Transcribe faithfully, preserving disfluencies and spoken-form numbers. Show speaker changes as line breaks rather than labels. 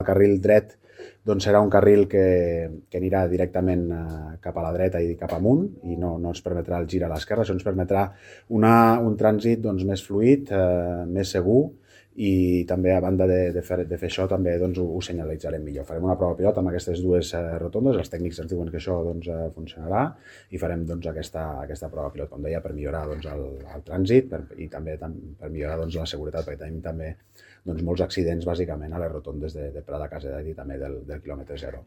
El carril dret doncs, serà un carril que, que anirà directament eh, cap a la dreta i cap amunt i no, no ens permetrà el gir a l'esquerra, això ens permetrà una, un trànsit doncs, més fluid, eh, més segur i també a banda de, de, fer, de fer això també doncs, ho, ho senyalitzarem millor. Farem una prova pilot amb aquestes dues eh, rotondes, els tècnics ens diuen que això doncs, eh, funcionarà i farem doncs, aquesta, aquesta prova pilot, com deia, per millorar doncs, el, el trànsit per, i també tam, per millorar doncs, la seguretat, perquè tenim també doncs, molts accidents bàsicament a les rotondes de, de Prada Casedat i també del, del quilòmetre zero.